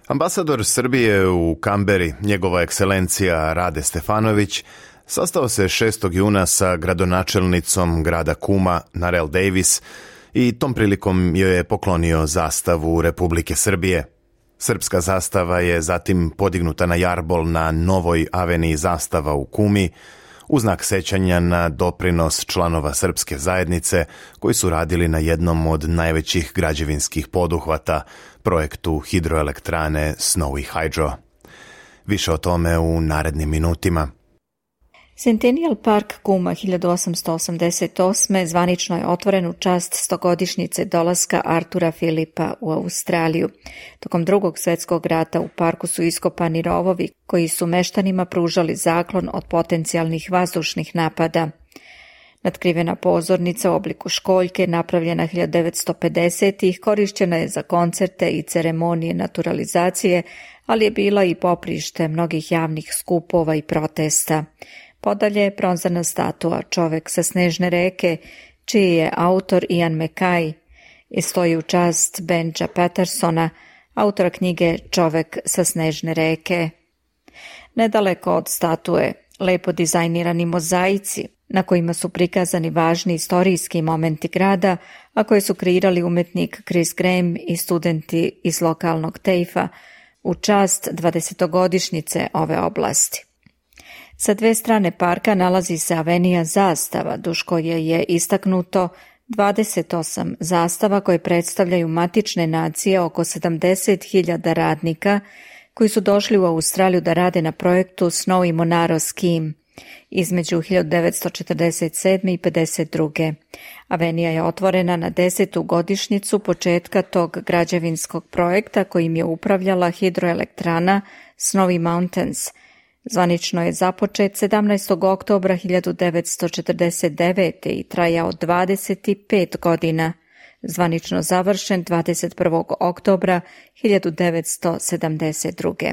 Ambasador Srbije u Kamberi, njegova ekscelencija Rade Stefanović, sastao se šestog juna sa gradonačelnicom grada Kuma, Narel Davis, i tom prilikom joj je poklonio zastavu Republike Srbije. Srpska zastava je zatim podignuta na jarbol na novoj aveniji zastava u Kumi, u znak sećanja na doprinos članova srpske zajednice koji su radili na jednom od najvećih građevinskih poduhvata, projektu hidroelektrane Snowy Hydro. Više o tome u narednim minutima. Centennial Park Kuma hiljadu osamsto osamdeset osme zvanično je otvoren u čast stogodišnjice dolaska Artura Filipa u Australiju. Tokom drugog svjetskog rata u parku su iskopani rovovi koji su meštanima pružali zaklon od potencijalnih vazdušnih napada. Natkrivena pozornica u obliku školjke, napravljena hiljadu devetsto pedesetih, korišćena je za koncerte i ceremonije naturalizacije, ali je bila i poprište mnogih javnih skupova i protesta. Podalje, bronzana statua Čovek sa snežne reke, čiji je autor Ian MacKay i stoji u čast Benja Pattersona, autora knjige Čovek sa snežne reke. Nedaleko od statue, lepo dizajnirani mozaici, na kojima su prikazani važni istorijski momenti grada, a koje su kreirali umetnik Chris Graham i studenti iz lokalnog tejfa u čast dvadesetogodišnjice ove oblasti. Sa dve strane parka nalazi se avenija zastava, duž koje je istaknuto dvadeset osam zastava koje predstavljaju matične nacije oko sedamdeset hiljada radnika koji su došli u Australiju da rade na projektu Snowy Monaro Scheme između hiljadu devetsto četrdeset sedme i pedeset druge. Avenija je otvorena na desetu godišnjicu početka tog građevinskog projekta kojim je upravljala hidroelektrana Snowy Mountains. Zvanično je započet sedamnaestog oktobra hiljadu devetsto četrdeset devete. i trajao dvadeset pet godina, zvanično završen dvadeset prvog oktobra hiljadu devetsto sedamdeset druge.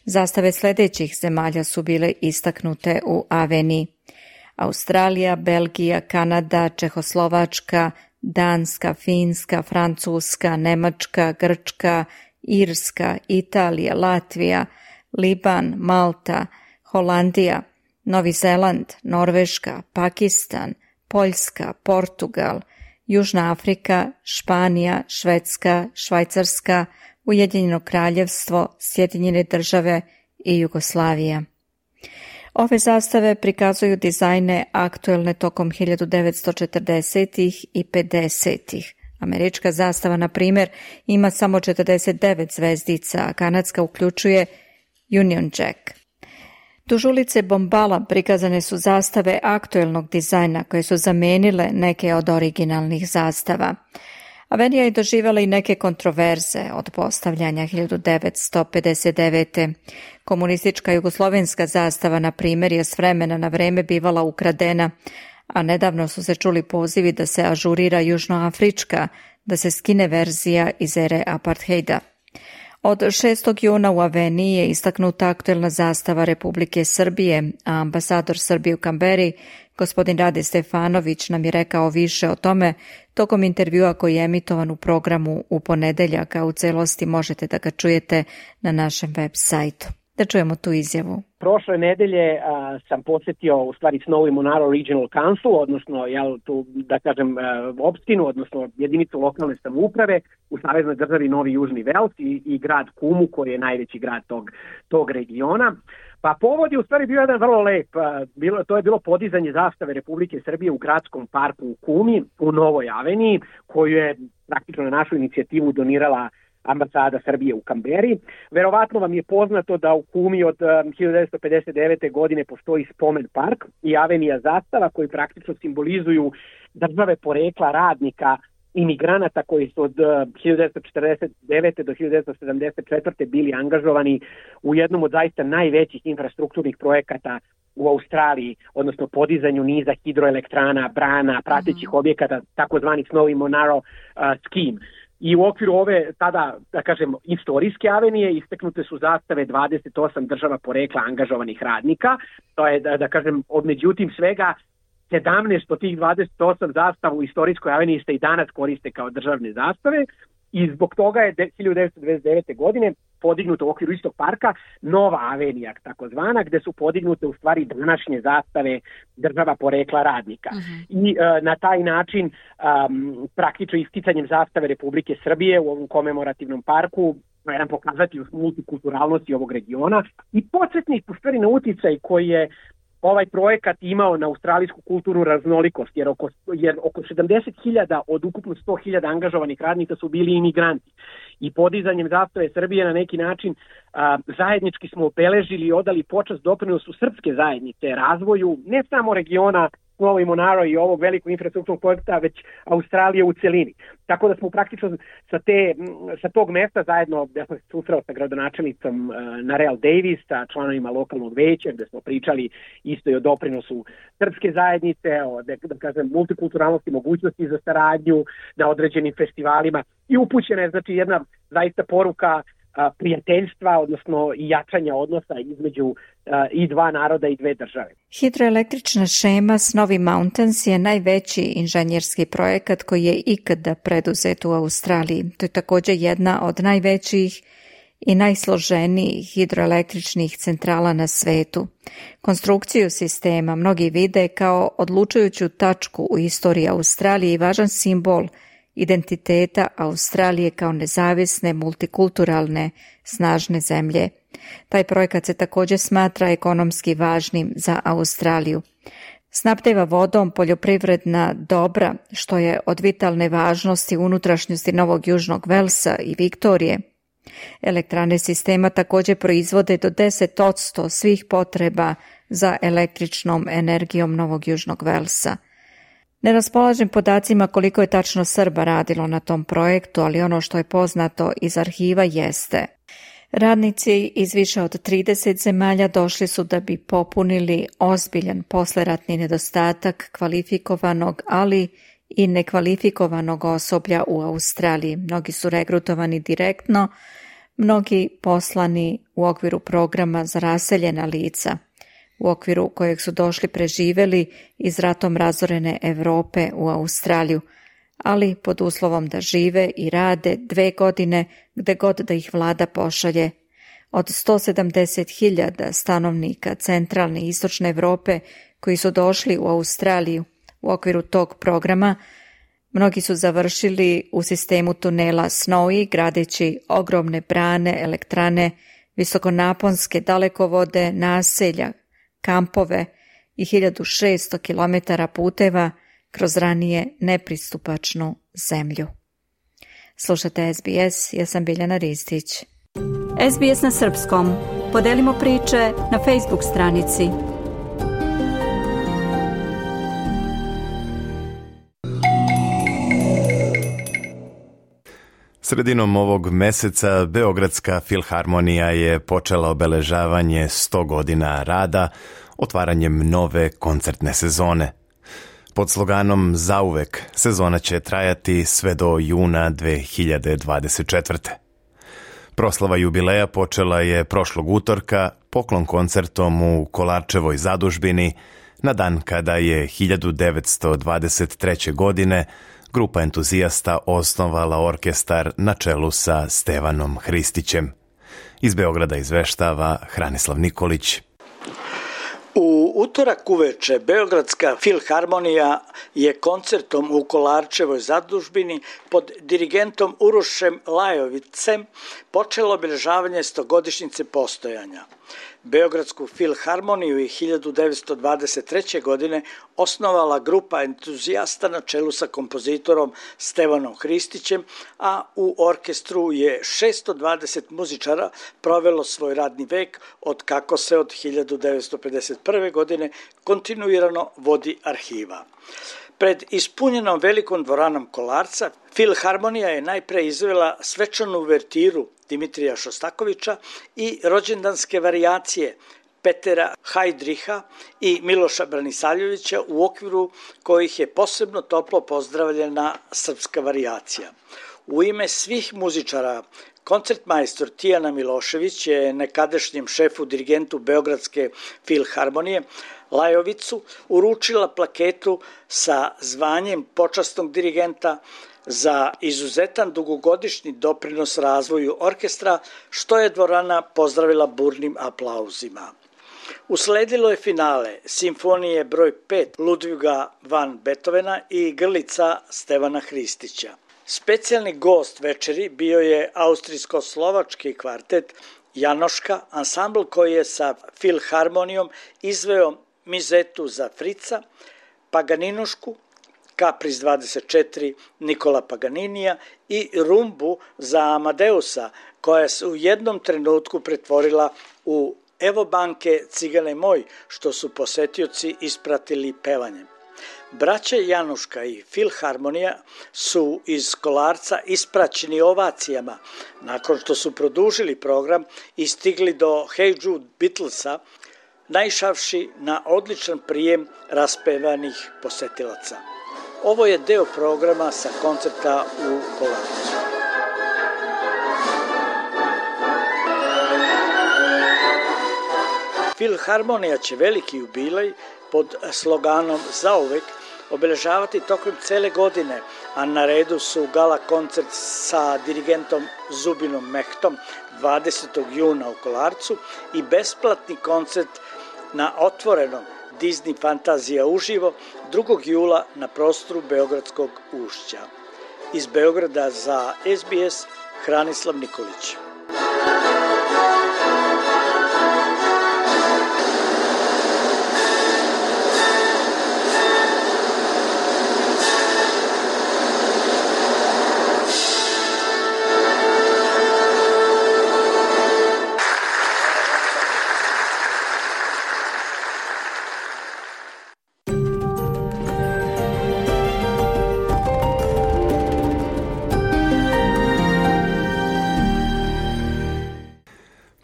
Zastave sljedećih zemalja su bile istaknute u aveniji: Australija, Belgija, Kanada, Čehoslovačka, Danska, Finska, Francuska, Nemačka, Grčka, Irska, Italija, Latvija, Liban, Malta, Holandija, Novi Zeland, Norveška, Pakistan, Poljska, Portugal, Južna Afrika, Španija, Švedska, Švajcarska, Ujedinjeno kraljevstvo, Sjedinjene države i Jugoslavija. Ove zastave prikazuju dizajne aktuelne tokom hiljadu devetsto četrdesetih i pedesetih. Američka zastava, na primjer, ima samo četrdeset devet zvezdica, a kanadska uključuje Union Jack. Duž ulice Bombala prikazane su zastave aktuelnog dizajna koje su zamenile neke od originalnih zastava. Avenija je doživjela i neke kontroverze od postavljanja hiljadu devetsto pedeset devete. Komunistička jugoslovenska zastava, na primjer, je s vremena na vreme bivala ukradena, a nedavno su se čuli pozivi da se ažurira južnoafrička, da se skine verzija iz ere apartheida. Od šestog juna u aveniji je istaknuta aktuelna zastava Republike Srbije, a ambasador Srbije u Kamberi, gospodin Rade Stefanović, nam je rekao više o tome tokom intervjua koji je emitovan u programu u ponedeljak, a u celosti možete da ga čujete na našem web sajtu. Da čujemo tu izjavu. Prošle nedelje a, sam posjetio u stvari Snowy Monaro Regional Council, odnosno jel, tu, da kažem a, opštinu, odnosno jedinicu lokalne samouprave u saveznoj državi Novi Južni Vels i, i grad Kumu koji je najveći grad tog, tog regiona. Pa povod je u stvari bio jedan vrlo lep, a, bilo, to je bilo podizanje zastave Republike Srbije u gradskom parku u Kumi u Novoj aveniji koju je praktično na našu inicijativu donirala ambasada Srbije u Kamberi. Verovatno vam je poznato da u Kumi od um, hiljadu devetsto pedeset devete. godine postoji spomen park i avenija zastava koji praktično simbolizuju države porekla radnika imigranata koji su od uh, hiljadu devetsto četrdeset devete. do hiljadu devetsto sedamdeset četvrte. bili angažovani u jednom od zaista najvećih infrastrukturnih projekata u Australiji, odnosno podizanju niza hidroelektrana, brana, pratećih uh-huh. objekata, takozvani Snowy Monaro uh, Scheme. I u okviru ove, tada, da kažem, istorijske avenije isteknute su zastave dvadeset osam država porekla angažovanih radnika. To je, da, da kažem, od međutim svega sedamnaest od tih dvadeset osam zastava u istorijskoj aveniji se i danas koriste kao državne zastave i zbog toga je hiljadu devetsto devedeset devete. godine podignuta u okviru istog parka nova avenija, takozvana, gde su podignute u stvari današnje zastave država porekla radnika. Uh-huh. I uh, na taj način um, praktično isticanjem zastave Republike Srbije u ovom komemorativnom parku jedan pokazati multikulturalnosti ovog regiona i podsjetnik u stvari na uticaj koji je ovaj projekat imao na australijsku kulturnu raznolikost, jer oko, jer oko sedamdeset hiljada od ukupno sto hiljada angažovanih radnika su bili imigranti. I podizanjem zastave Srbije na neki način a, zajednički smo obeležili i odali počast doprinosu srpske zajednice razvoju ne samo regiona Snow i Monaro i ovog velikog infrastrukturnog projekta, već Australije u celini. Tako da smo praktično sa, te, sa tog mesta zajedno, ja sam se susreo sa gradonačelnicom Narelle Davis, sa članovima lokalnog veća, gde smo pričali isto i o doprinosu srpske zajednice, o da, da kažem, multikulturalnosti, mogućnosti za saradnju na određenim festivalima i upućena je znači jedna zaista poruka prijateljstva, odnosno i jačanja odnosa između uh, i dva naroda i dve države. Hidroelektrična šema Snowy Mountains je najveći inženjerski projekat koji je ikada preduzet u Australiji. To je također jedna od najvećih i najsloženijih hidroelektričnih centrala na svetu. Konstrukciju sistema mnogi vide kao odlučujuću tačku u istoriji Australije i važan simbol identiteta Australije kao nezavisne, multikulturalne, snažne zemlje. Taj projekat se također smatra ekonomski važnim za Australiju. Snabdeva vodom poljoprivredna dobra, što je od vitalne važnosti unutrašnjosti Novog Južnog Velsa i Viktorije. Elektrane sistema također proizvode do deset posto svih potreba za električnom energijom Novog Južnog Velsa. Ne raspolažem podacima koliko je tačno Srba radilo na tom projektu, ali ono što je poznato iz arhiva jeste. Radnici iz više od trideset zemalja došli su da bi popunili ozbiljan posleratni nedostatak kvalifikovanog, ali i nekvalifikovanog osoblja u Australiji. Mnogi su regrutovani direktno, mnogi poslani u okviru programa za raseljena lica, u okviru kojeg su došli preživeli iz ratom razorene Europe u Australiju, ali pod uslovom da žive i rade dve godine gde god da ih vlada pošalje. Od sto sedamdeset hiljada stanovnika centralne i istočne Europe koji su došli u Australiju u okviru tog programa, mnogi su završili u sistemu tunela Snowy, gradeći ogromne brane, elektrane, visokonaponske dalekovode, naselja, kampove i hiljadu šesto kilometara puteva kroz ranije nepristupačnu zemlju. Slušate S B S, ja sam Biljana Ristić. S B S na srpskom. Podelimo priče na Facebook stranici. Sredinom ovog meseca Beogradska filharmonija je počela obeležavanje sto godina rada otvaranjem nove koncertne sezone. Pod sloganom Zauvek sezona će trajati sve do juna dve hiljade dvadeset četvrte. Proslava jubileja počela je prošlog utorka poklon koncertom u Kolarčevoj zadužbini na dan kada je hiljadu devetsto dvadeset treće. godine grupa entuzijasta osnovala orkestar na čelu sa Stevanom Hristićem. Iz Beograda izveštava Hranislav Nikolić. U utorak uveče Beogradska filharmonija je koncertom u Kolarčevoj zadužbini pod dirigentom Urošem Lajovicem počelo obeležavanje stogodišnjice postojanja. Beogradsku filharmoniju je hiljadu devetsto dvadeset treće. godine osnovala grupa entuzijasta na čelu sa kompozitorom Stevanom Hristićem, a u orkestru je šesto dvadeset muzičara provelo svoj radni vek od kako se od hiljadu devetsto pedeset prve. godine kontinuirano vodi arhiva. Pred ispunjenom velikom dvoranom Kolarca, filharmonija je najpre izvela svečanu uvertiru Dimitrija Šostakovića i rođendanske varijacije Petera Hajdriha i Miloša Branisaljevića, u okviru kojih je posebno toplo pozdravljena srpska varijacija. U ime svih muzičara, koncertmajstor Tijana Milošević je nekadašnjem šefu dirigentu Beogradske filharmonije Lajovicu uručila plaketu sa zvanjem počasnog dirigenta za izuzetan dugogodišnji doprinos razvoju orkestra, što je dvorana pozdravila burnim aplauzima. Usledilo je finale simfonije broj pet Ludviga van Beethovena i Grlica Stevana Hristića. Specijalni gost večeri bio je austrijsko-slovački kvartet Janoška, ansambl koji je sa filharmonijom izveo mizetu za Frica, Paganinušku, Kapris dvadeset četiri Nikola Paganinija i rumbu za Amadeusa, koja se u jednom trenutku pretvorila u Evo banke, cigane moj, što su posetioci ispratili pevanjem. Braće Januška i Filharmonija su iz Kolarca ispraćeni ovacijama nakon što su produžili program i stigli do Hey Jude Beatlesa, naišavši na odličan prijem raspevanih posetilaca. Ovo je deo programa sa koncerta u Kolarcu. Filharmonija će veliki jubilej pod sloganom Zauvek obeležavati tokom cele godine, a na redu su gala koncert sa dirigentom Zubinom Mehtom dvadesetog juna u Kolarcu i besplatni koncert na otvorenom Disney Fantazija uživo drugog jula na prostoru Beogradskog ušća. Iz Beograda za S B S Hranislav Nikolić.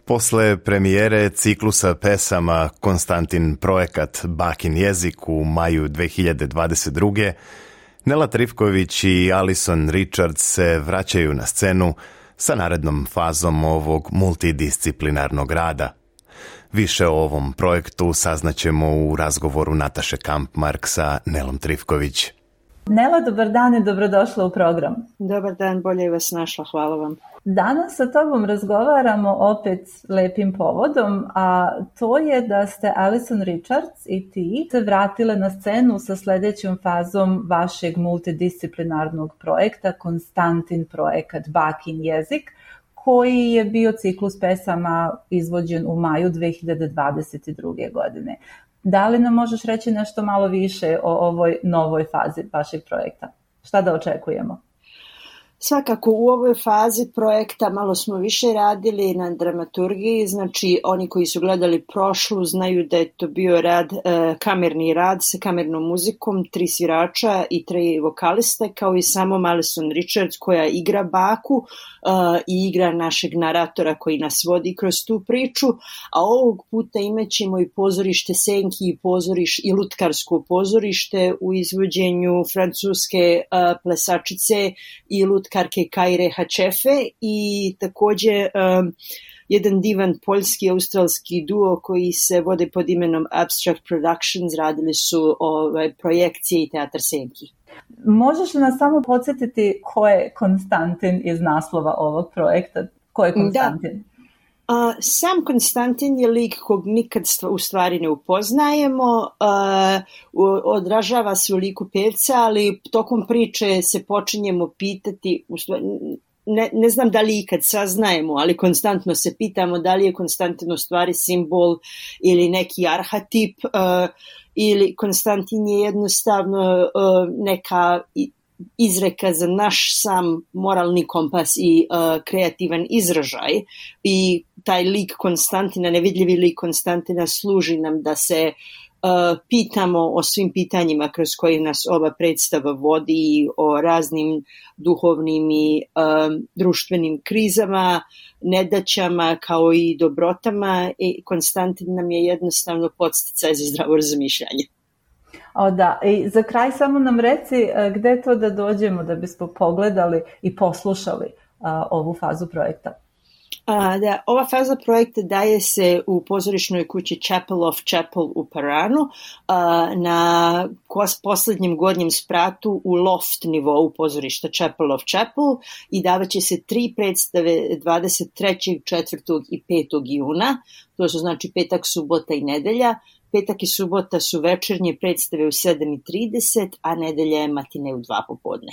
Posle premijere ciklusa pesama Konstantin projekat Bakin jezik u maju dve hiljade dvadeset druge. Nela Trifković i Alison Richards se vraćaju na scenu sa narednom fazom ovog multidisciplinarnog rada. Više o ovom projektu saznaćemo u razgovoru Nataše Kampmark sa Nelom Trifković. Nela, dobar dan i dobrodošla u program. Dobar dan, bolje vas našla, hvala vam. Danas sa tobom razgovaramo opet lepim povodom, a to je da ste Alison Richards i ti se vratile na scenu sa sljedećom fazom vašeg multidisciplinarnog projekta Konstantin projekat Bakin jezik, koji je bio ciklus pesama izvođen u maju dve hiljade dvadeset druge. godine. Da li nam možeš reći nešto malo više o ovoj novoj fazi vašeg projekta? Šta da očekujemo? Svakako u ovoj fazi projekta malo smo više radili na dramaturgiji, znači oni koji su gledali prošlu znaju da je to bio rad, e, kamerni rad sa kamernom muzikom, tri svirača i tri vokaliste, kao i samo Alison Richards koja igra baku e, i igra našeg naratora koji nas vodi kroz tu priču, a ovog puta imaćemo i pozorište Senki i, pozoriš, i lutkarsko pozorište u izvođenju francuske e, plesačice i lutkarske Karke Kaire Hačefe i također um, jedan divan poljski-australski duo koji se vode pod imenom Abstract Productions, radili su ovaj, projekcije i teatar Senki. Možeš li nas samo podsjetiti ko je Konstantin iz naslova ovog projekta? Ko je Konstantin? Da. Uh, sam Konstantin je lik kog nikad u stvari ne upoznajemo, uh, odražava se u liku pevca, ali tokom priče se počinjemo pitati, u stvari, ne, ne znam da li ikad saznajemo, ali konstantno se pitamo da li je Konstantin u stvari simbol ili neki arhetip, uh, ili Konstantin je jednostavno uh, neka izreka za naš sam moralni kompas i uh, kreativan izražaj i taj lik Konstantina, nevidljivi lik Konstantina služi nam da se uh, pitamo o svim pitanjima kroz koje nas ova predstava vodi, o raznim duhovnim i um, društvenim krizama, nedaćama kao i dobrotama i Konstantin nam je jednostavno podsticaj za zdravo razmišljanje. O da, i za kraj samo nam reci gde to da dođemo da bismo pogledali i poslušali a, ovu fazu projekta. A, da, ova faza projekta daje se u pozorišnoj kući Chapel of Chapel u Paranu a, na posljednjem gornjem spratu u loft nivou pozorišta Chapel of Chapel i davaće se tri predstave dvadeset trećeg, četvrtog i petog juna, to su znači petak, subota i nedelja. Petak i subota su večernje predstave u sedam i trideset, a nedelja je matine u dva popodne.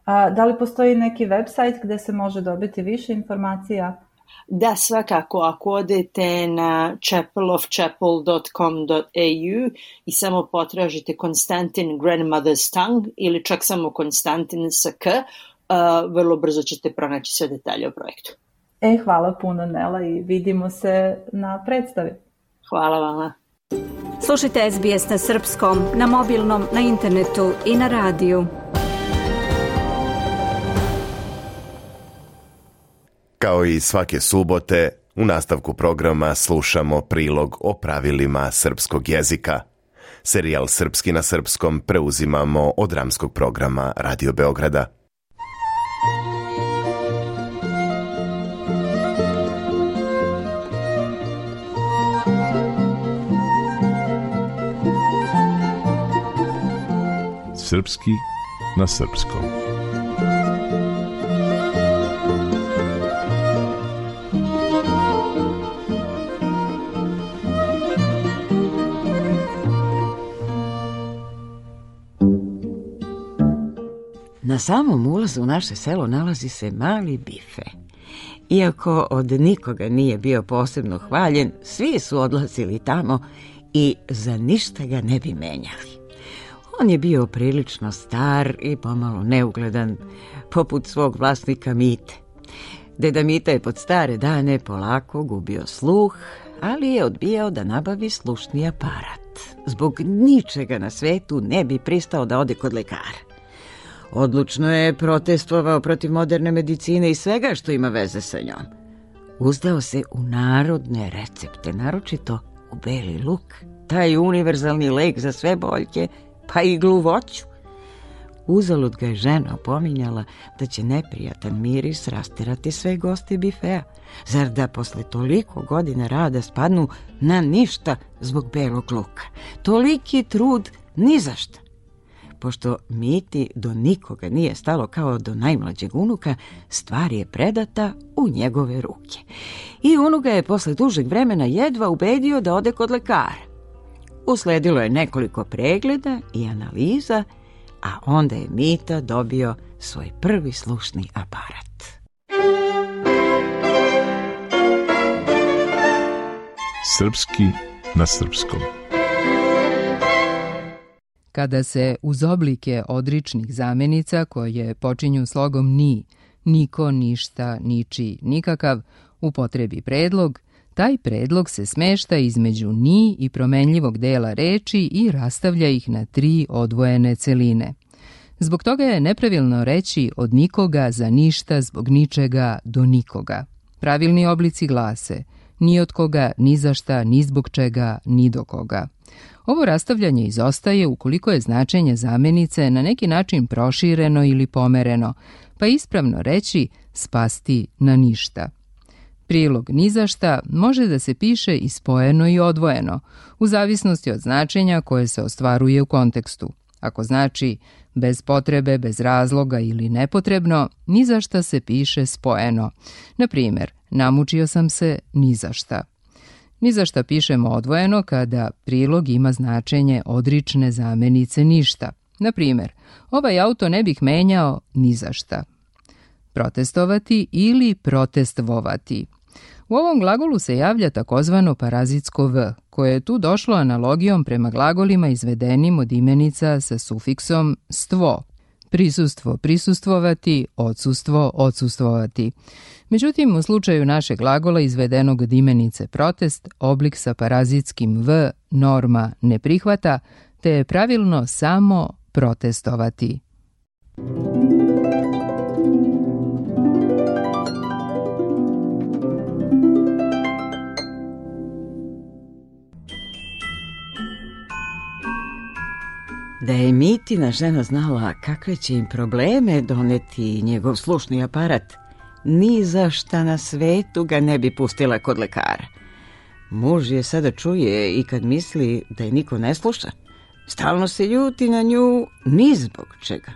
A, da li postoji neki website gde se može dobiti više informacija? Da, svakako. Ako odete na chapel of chapel dot com dot a u i samo potražite Konstantin Grandmother's Tongue ili čak samo Konstantin sa K, uh, vrlo brzo ćete pronaći sve detalje o projektu. E, hvala puno Nela i vidimo se na predstavi. Hvala vama. Slušajte S B S na srpskom, na mobilnom, na internetu i na radiju. Kao i svake subote, u nastavku programa slušamo prilog o pravilima srpskog jezika. Serijal Srpski na srpskom preuzimamo od dramskog programa Radio Beograda. Srpski na srpskom. Na samom ulazu u naše selo nalazi se mali bife. Iako od nikoga nije bio posebno hvaljen, svi su odlazili tamo i za ništa ga ne bi menjali. On je bio prilično star i pomalo neugledan, poput svog vlasnika Mite. Deda Mita je pod stare dane polako gubio sluh, ali je odbijao da nabavi slušni aparat. Zbog ničega na svetu ne bi pristao da ode kod lekara. Odlučno je protestovao protiv moderne medicine i svega što ima veze sa njom. Uzdao se u narodne recepte, naročito u beli luk, taj univerzalni lek za sve boljke, pa i gluvoću. Uzalud ga je žena opominjala da će neprijatan miris rasterati sve goste bifea. Zar da posle toliko godina rada spadnu na ništa zbog belog luka? Toliki trud ni za šta. Pošto Miti do nikoga nije stalo kao do najmlađeg unuka, stvar je predata u njegove ruke. I unuka je posle dužeg vremena jedva ubedio da ode kod lekara. Usledilo je nekoliko pregleda i analiza, a onda je Mita dobio svoj prvi slušni aparat. Srpski na srpskom. Kada se uz oblike odričnih zamenica koje počinju slogom ni, niko, ništa, niči, nikakav, upotrebi predlog, taj predlog se smešta između ni i promenljivog dela reči i rastavlja ih na tri odvojene celine. Zbog toga je nepravilno reći od nikoga za ništa zbog ničega do nikoga. Pravilni oblici glase ni od koga, ni za šta, ni zbog čega, ni do koga. Ovo rastavljanje izostaje ukoliko je značenje zamenice na neki način prošireno ili pomereno, pa ispravno reći spasti na ništa. Prilog ni za šta može da se piše i spojeno i odvojeno, u zavisnosti od značenja koje se ostvaruje u kontekstu. Ako znači bez potrebe, bez razloga ili nepotrebno, ni za šta se piše spojeno. Na primjer, namučio sam se ni za šta. Ni za šta pišemo odvojeno kada prilog ima značenje odrične zamenice ništa. Na primjer, ovaj auto ne bih menjao ni za šta. Protestovati ili protestvovati. U ovom glagolu se javlja takozvano parazitsko v, koje je tu došlo analogijom prema glagolima izvedenim od imenica sa sufiksom stvo. Prisustvo, prisustvovati, odsustvo, odsustvovati. Međutim, u slučaju našeg glagola izvedenog od imenice protest, oblik sa parazitskim v norma ne prihvata, te je pravilno samo protestovati. Da je Mitina žena znala kakve će im probleme doneti njegov slušni aparat, ni za šta na svetu ga ne bi pustila kod lekara. Muž je sada čuje i kad misli da je niko ne sluša. Stalno se ljuti na nju ni zbog čega.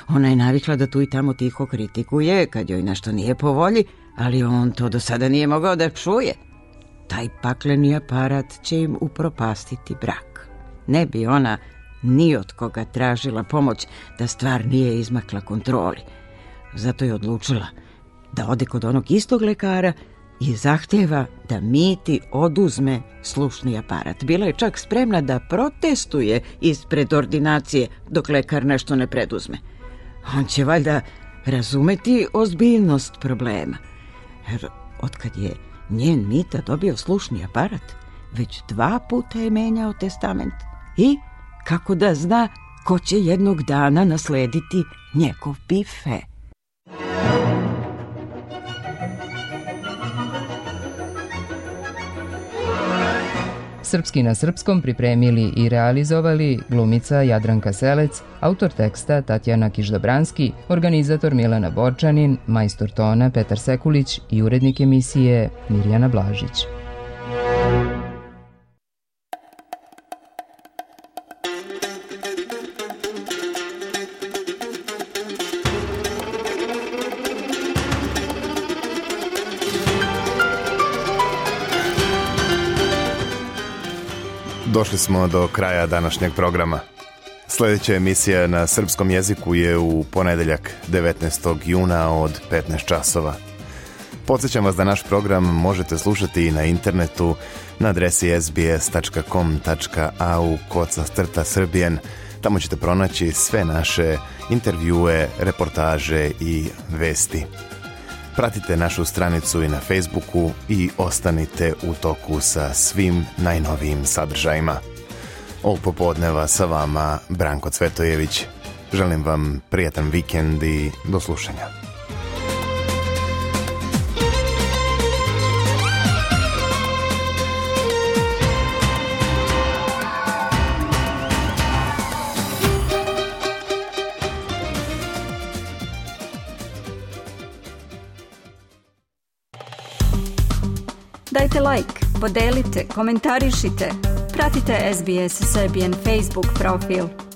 Ona je navikla da tu i tamo tiho kritikuje kad joj nešto nije po volji, ali on to do sada nije mogao da čuje. Taj pakleni aparat će im upropastiti brak. Ne bi ona ni od koga tražila pomoć da stvar nije izmakla kontroli. Zato je odlučila da ode kod onog istog lekara i zahtjeva da Miti oduzme slušni aparat. Bila je čak spremna da protestuje ispred ordinacije dok lekar nešto ne preduzme. On će valjda razumeti ozbiljnost problema. Jer otkad je njen Mita dobio slušni aparat, već dva puta je menjao testament. I kako da zna ko će jednog dana naslediti njegov bife? Srpski na srpskom pripremili i realizovali glumica Jadranka Selec, autor teksta Tatjana Kiš-Dobranski, organizator Milena Borčanin, majstor tona Petar Sekulić i urednik emisije Mirjana Blažić. Došli smo do kraja današnjeg programa. Sljedeća emisija na srpskom jeziku je u ponedeljak devetnaestog juna od petnaest časova. Podsjećam vas da naš program možete slušati i na internetu na adresi es bi es tačka com tačka a u koca crta srbijen. Tamo ćete pronaći sve naše intervjue, reportaže i vesti. Pratite našu stranicu i na Facebooku i ostanite u toku sa svim najnovijim sadržajima. Ovog popodneva sa vama Branko Cvetojević. Želim vam prijatan vikend i do slušanja. Dajte like, podelite, komentarišite. Pratite es bi es Serbian Facebook profil.